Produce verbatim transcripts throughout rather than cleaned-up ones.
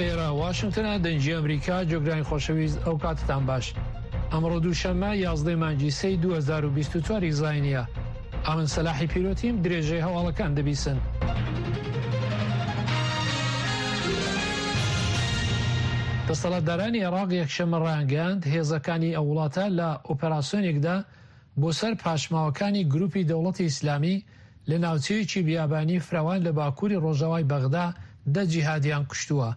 ئێرە واشنگتنە، دەنگی ئەمریکا. جۆگرانی خۆشەویست، ئەو کاتتان باش. ئەمڕۆ دووشەممە یازدەی مانگی سێی دوو هەزار و بیست و چوار ی زاینیە. ئەمن سەلاحی پیرۆتیم، درێژەی هەواڵەکان دەبیسن. دەسەڵاتدارانی عێراق یەکشەممە ڕایانگەیاند، هێزەکانی ئەو وڵاتە لە ئۆپەراسیۆنێکدا بۆ سەر پاشماوەکانی گروپی دەوڵەتی ئیسلامی لە ناوچەیەکی بیابانی فراوان لە باکووری ڕۆژاوای بەغدا دە جیهادیان کوشتووە.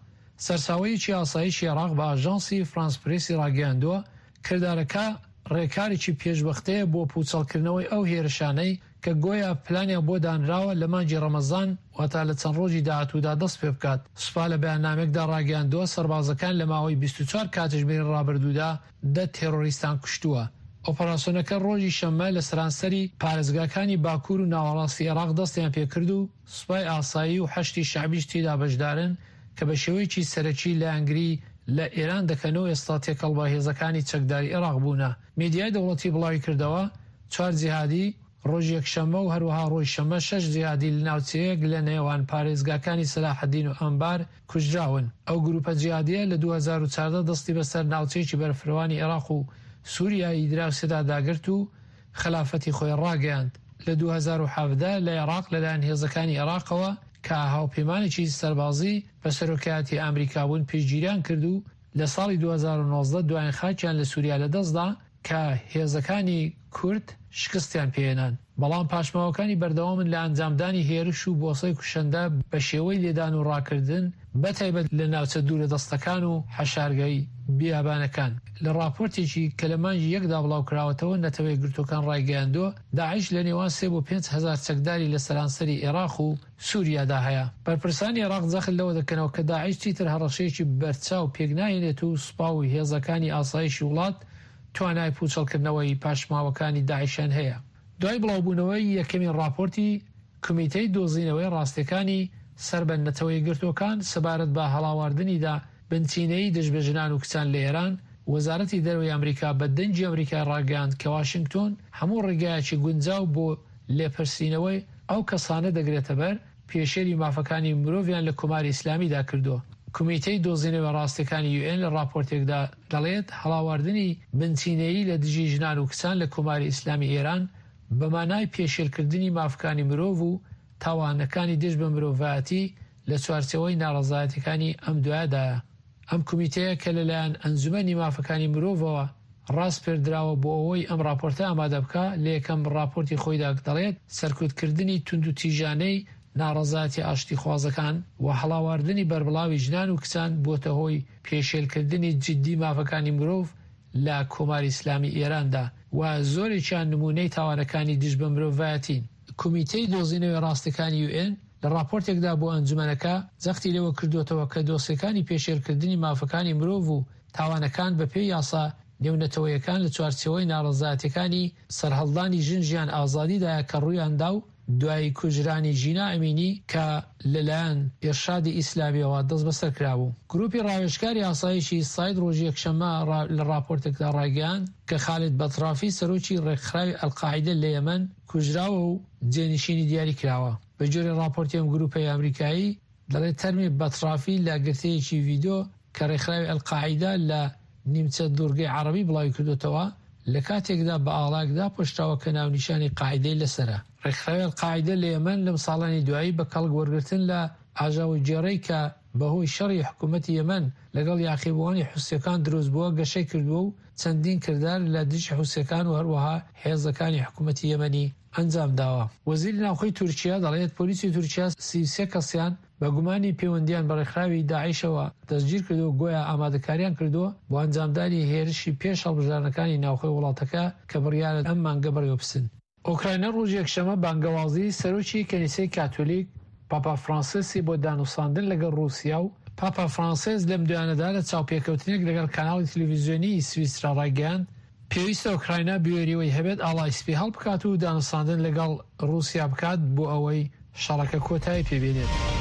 سەرچاوەیەکی ئاسایشی عێراق بە ئاژانسی فرانس پرێسی ڕاگەیاندووە، کردارەکە ڕێکارێکی پێشوەختەیە بۆ پوچەڵکردنەوەی ئەو هێرشانەی کە گۆیا پلانیان بۆ دانراوە لە مانگی ڕەمەزان، واتا لە چەند ڕۆژی داهاتوودا دەست پێبکات. سوپا لە بەیاننامەیەکدا ڕاگەیاندووە، سەربازەکان لە ماوەی بیست و چوار کاتژمێری ڕابردوودا دە تێرۆریستان کوشتووە. ئۆپەراسیۆنەکە ڕۆژی شەممە لە سەرانسەری پارێزگاکانی باکوور و ناوەڕاستی عێراق دەستیان پێکرد و سوپای ئاسایی و حەشدی شەعبیش تێیدا بەشدارن کە بە شێوەیەکی سەرەکی لایەنگری لە ئێران دەکەن و ئێستا تێکەڵ بە هێزەکانی چەکداری عێراق بوونە. میدیای دەوڵەتی بڵاویکردەوە، چوار جیهادی ڕۆژی یەکشەممە و هەروەها ڕۆژی شەممە شەش جیهادی لە ناوچەیەک لە نێوان پارێزگاکانی سەلاحەدین و ئەنبار کوژراون. ئەو گروپە جیهادیە لە دوو هەزار و چواردە دەستی بەسەر ناوچەیەکی بەرفرەوانی عێراق و سوریای دراوسێدا داگرت و خەلافەتی خۆی ڕاگەیاند. لە دوو هەزار و حەڤدە لە عێراق لەلایەن هێزەکانی عێراقەوە کە هاوپەیمانێکی سەربازی بە سەرۆکایەتی ئەمریکا بوون پشتگیریان کرد و لە ساڵی دوو هەزار و نۆزدە دوایین خاکیان لە سوریا لەدەستدا کە هێزەکانی کورد شکستیان پێهێنان، بەڵام پاشماوەکانی بەردەوامن لە ئەنجامدانی هێرش و بۆسەی کوشندە بە شێوەی لێدان و ڕاکردن، بەتایبەت لە ناوچە دوورەدەستەکان و حەشارگەی بیابانەکان. لە ڕاپۆرتێکی کە لە مانگی یەکدا بڵاوکراوەتەوە، نەتەوە یەکگرتووەکان ڕایگەیاندووە، داعش لە نێوان سێ بۆ پێنج هەزار چەکداری لە سەرانسەری عێراق و سوریادا هەیە. بەرپرسانی عێراق جەخت لەوە دەکەنەوە کە داعش چیتر هەڕەشەیەکی بەرچاو پێکناهێنێت و سوپا و هێزەکانی ئاسایشی وڵات توانای پوچەڵکردنەوەی پاشماوەکانی داعشیان هەیە. دوای بڵاوبوونەوەی یەکەمین ڕاپۆرتی کۆمیتەی دۆزینەوەی ڕاستیەکانی سەر بە نەتەوە یەکگرتووەکان سەبارەت بە هەڵاواردنیدا بنچینەیی دژ بە ژنان و کچان لە ئێران، وەزارەتی دەرەوەی ئەمریکا بە دەنگی ئەمریکای ڕاگەیاند کە واشنگتۆن هەموو ڕێگایەکی گونجاو بۆ لێپرسینەوەی ئەو کەسانە دەگرێتەبەر پێشێلی مافەکانی مرۆڤیان لە کۆماری ئیسلامیدا کردووە. کۆمیتەی دۆزینەوەی ڕاستیەکانی یو ئێن لە ڕاپۆرتێکدا دەڵێت هەڵاواردنی بنچینەیی لە دژی ژنان و کچان لە کۆماری ئیسلامی ئێران بە مانای پێشێلکردنی مافەکانی مرۆڤ و تاوانەکانی دژ بە مرۆڤایەتی لە چوارچێوەی ناڕەزایەتیەکانی ئەم دوایەدایە. ئەم کۆمیتەیە کە لەلایەن ئەنجومەنی مافەکانی مرۆڤەوە ڕاسپێردراوە بۆ ئەوەی ئەم ڕاپۆرتە ئامادە بکا، لە یەکەم ڕاپۆرتی خۆیدا دەڵێت سەرکوتکردنی توندوتیژانەی ناڕەزایەتی ئاشتیخوازەکان و هەڵاواردنی بەربڵاوی ژنان و کچان بووەتە هۆی پێشێلکردنی جدی مافەکانی مرۆڤ لە کۆماری ئیسلامی ئێراندا و زۆرێکیان نموونەی تاوانەکانی دژ بە مرۆڤایەتین. کۆمیتەی دۆزینەوەی ڕاستیەکانی یو ئێن لە ڕاپۆرتێکدا بۆ ئەنجومەنەکە جەختی لەوە کردووەتەوە کە دۆسیەکانی پێشێلکردنی مافەکانی مرۆڤ و تاوانەکان بەپێی یاسا نێونەتەوەیەکان لە چوارچێوەی ناڕەزایەتیەکانی سەرهەڵدانی ژن ژیان ئازادیدایە کە ڕوویاندا و دوای کوژرانی ژینا ئەمینی کە لەلایەن ئیرشادی ئیسلامیەوە دەستبەسەر کرابوو. گروپی ڕاوێژکاری ئاسایشی ساید ڕۆژی یەکشەممە لە ڕاپۆرتێکدا ڕایگەیاند کە خالید بەترافی سەرۆکی ڕێکخراوی ئەلقاعیدە لە یەمەن کوژراوە و جێنشینی دیاری کراوە. بەگوێرەی ڕاپۆرتی ئەم گروپەی ئەمریکایی دەڵێت تەرمی بەترافی لە گرتەیەکی ڤیدیۆ کە ڕێکخراوی ئەلقاعیدە لە نیمچە دوورگەی عەرەبی بڵاوی کردوتەوە لە کاتێکدا بە ئاڵایەک داپۆشراوە کە ناونیشانی قاعیدەی لەسەرە. ڕێکخراوی ئەلقاعیدە لە یەمەن لەم ساڵانی دوایی بە کەڵک وەرگرتن لە ئاژاوەگێڕی کە بەهۆی شەڕی حکوومەتی یەمەن لەگەڵ یاخیبووانی حوسیەکان دروست بووە گەشەی کردووە و چەندین کردار لە دژی حوسیەکان و هەروەها هێزەکانی حکوومەتی یەمەنی ئەنجام داوە. وەزیری ناوخۆی تورکیا دەڵێت پۆلیسی تورکیا سی و سێ کەسیان بە گومانی پەیوەندیان بە ڕێکخراوی داعشەوە دەستگیرکردووە، گۆیا ئامادەکاریان کردووە بۆ ئەنجامدانی هێرشی پێش هەڵبژاردنەکانی ناوخۆی وڵاتەکە کە بڕیارە ئەم مانگە بەڕێوەبچن. ئۆکراینا ڕۆژی یەکشەممە بانگەوازی سەرۆکی کەنیسەی کاتۆلیک پاپا فرانسیسی بۆ دانوساندن لەگەڵ ڕووسیا و پاپا فرانسیس لەم دوایانەدا لە چاوپێکەوتنێک لەگەڵ کاناڵی تەلەڤیزیۆنیی سویسرا ڕایگەیاند پێویستە ئۆکراینا بوێریەوەی هەبێت ئاڵای سپی هەڵبکات و دانوساندن لەگەڵ ڕووسیا بکات بۆ ئەوەی شەڕەکە کۆتایی پێبێنێت.